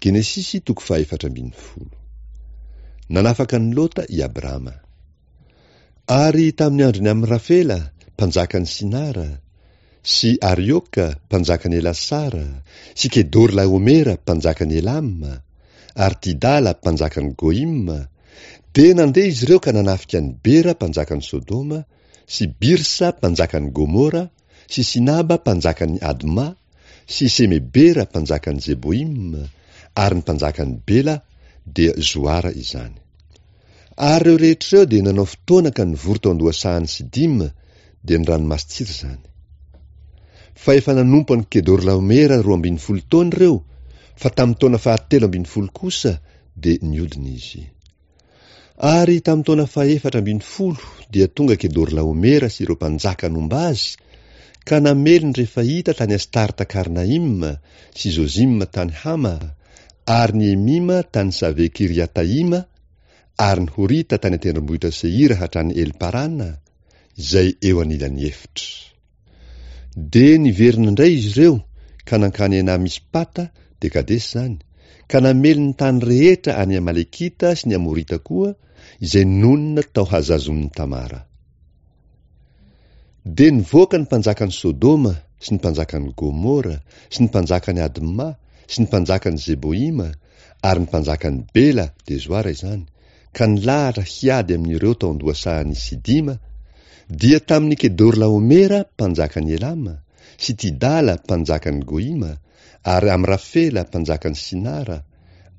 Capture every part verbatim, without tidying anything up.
Genesisy toko fahaefatra ambin'ny folo. Nanafaka an'i Lota i Abrama. Ary tamin'ny andron'i Amrafela, mpanjakan'i Sinara, sy Arioka, mpanjakan'i Elasara, sy Kedorlaomera, mpanjakan'i Elama, ary Tidala, mpanjakan'i Goima, dia nandeha izy ireo ka nanafika an'i Bera, mpanjakan'i Sodoma, sy Birsa, mpanjakan'i Gomora, sy Sinaba, mpanjakan'i Adma, sy Semebera, mpanjakan'i Zeboima, ary ny mpanjakan'i Bela, dia Zoara izany. Ary ireo rehetra ireo dia nanao fotoana ka nivory tao an-dohasahan'i Sidima, dia ny ranomasin-tsira izany. Fa efa nanompo an'i Kedorlaomera roa ambin'ny folo taona ireo, fa tamin'ny taona fahatelo ambin'ny folo kosa dia niodina izy. Ary tamin'ny taona fahefatra ambin'ny folo dia tonga Kedorlaomera sy ireo mpanjaka nomba azy, ka namely ny Refaita tany Astarta Karnaima sy Zozima tany Hama, ary ny Emima tany Save Kiriataima, ary ny Horita tany an-tendrombohitra Seira hatrany Elparana, izay eo anilan'ny efitra. Dia niverina indray izy ireo ka nankany Ena-Mispata, dia Kadesy izany, ka namely ny tany rehetra any Amalekita sy ny Amorita koa, izay nonina tao Hazazon'i Tamara. Dia nivoaka ny mpanjakan'i Sodoma sy ny mpanjakan'i Gomora sy ny mpanjakan'i Adma sy ny mpanjakan'i Zeboima ary ny mpanjakan'i Bela, dia Zoara izany, ka nilahatra hiady amin'ireo tao an-dohasahan'i Sidima, dia tamin'i Kedorlaomera mpanjakan'i Elama sy Tidala mpanjakan'i Goima ary Amrafela mpanjakan'i Sinara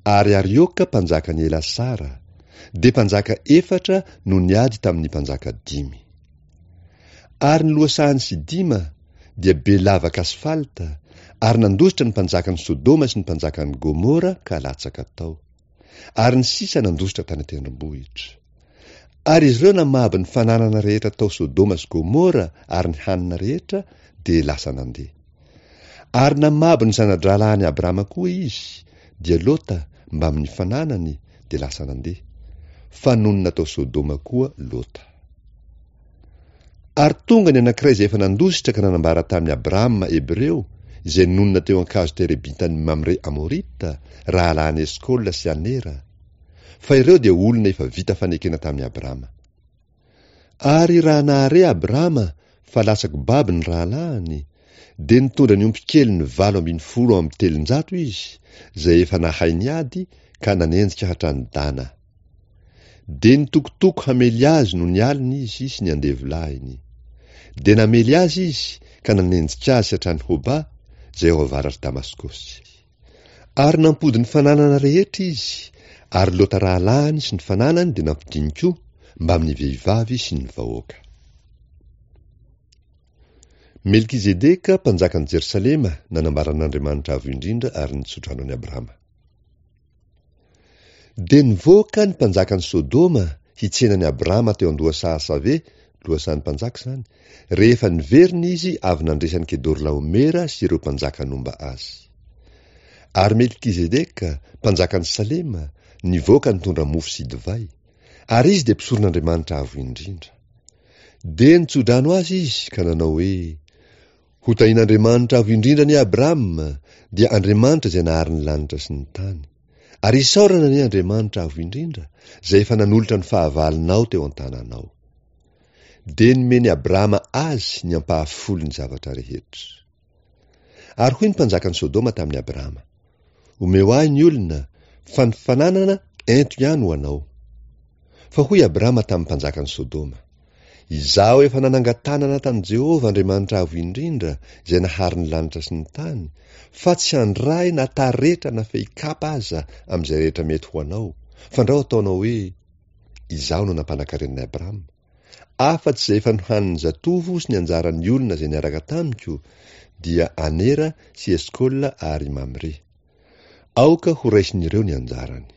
ary Arioka mpanjakan'i Elasara, dia mpanjaka efatra no niady tamin'ny mpanjaka dimy. Ary ny lohasahan'i Sidima dia be lavaka asfalta, ary nandositra ny mpanjakan'i Sodoma sy ny mpanjakan'i Gomora ka latsaka tao. Ary ny sisa nandositra tany an-tendrombohitra. Ary izy ireo namabo ny fananana rehetra tao Sodoma sy Gomora ary ny hanina rehetra, dia lasa nandeha. Ary namabo ny zana-drahalahin'i Abrama koa izy, dia Lota, mbamin'ny fananany, dia lasa nandeha. Fa nonina tao Sodoma koa Lota. Ary tonga ny anankiray izay efa nandositra ka nanambara tamin'i Abrama Hebreo, izay nonina teo an-kazo terebintan'i Mamre Amorita, rahalahin'i Eskola sy Anera. Fa ireo dia olona efa vita fanekena tamin'i Abrama. Ary raha nahare Abrama fa latsako babo ny rahalahiny, dia nitondra ny ombikeliny valo ambin'ny folo amby telonjato izy, izay efa nahay niady ka nanenjika hatrany Dana. Dia nitokotoko hamely azy nony alina izy sy ny andevolahiny. Dia namely azy izy ka nanenjika azy hatrany Hoba, izay ao avaratr'i Damaskosy. Ary nampody ny fananana rehetra izy, ary Lota rahalahiny sy ny fananany dia nampodiny koa, mbamin'ny vehivavy sy ny vahoaka. Melkizedeka, mpanjakan'i Jerosalema, nanambaran'Andriamanitra Avo Indrindra ary nitsodrano an'i Abrama. Dia nivoaka ny mpanjakan'i Sodoma hitsena an'i Abrama teo an-dohasaha Save, lohasahan'ny mpanjaka izany, rehefa niverina izy avy nandresy an'i Kedorlaomera sy ireo mpanjaka nomba azy. Ary Melkizedeka, mpanjakan'i Salema, nivoaka nitondra mofo sy divay, ary izy dia mpisoron'Andriamanitra Avo Indrindra. Dia nitsodrano azy izy ka nanao hoe: Ho tahian'Andriamanitra Avo Indrindra anie Abrama, dia Andriamanitra izay nahary ny lanitra sy ny tany. Ary isaorana anie Andriamanitra Avo Indrindra, izay efa nanolotra ny fahavalonao teo an-tananao. Dia nomen'i Abrama azy ny ampahafolon'ny zavatra rehetra. Ary hoy ny mpanjakan'i Sodoma tamin'i Abrama: Omeo ahy ny olona, fa ny fananana ento ihany ho anao. Fa hoy Abrama tamin'ny mpanjakan'i Sodoma: Izaho efa nanangan-tanana tamin'i Jehovah Andriamanitra Avo Indrindra, izay nahary ny lanitra sy ny tany, fa tsy handray na taretra na fehikapa aza amin'izay rehetra mety ho anao, fandrao ataonao hoe, Izaho no nampanankaren'i Abrama, afa-tsy izay efa nohanin'ny zatovo sy ny anjaran'ny olona izay niaraka tamiko, dia Anera sy Eskola ary Mamre. Aoka horaisin'ireo ny anjarany.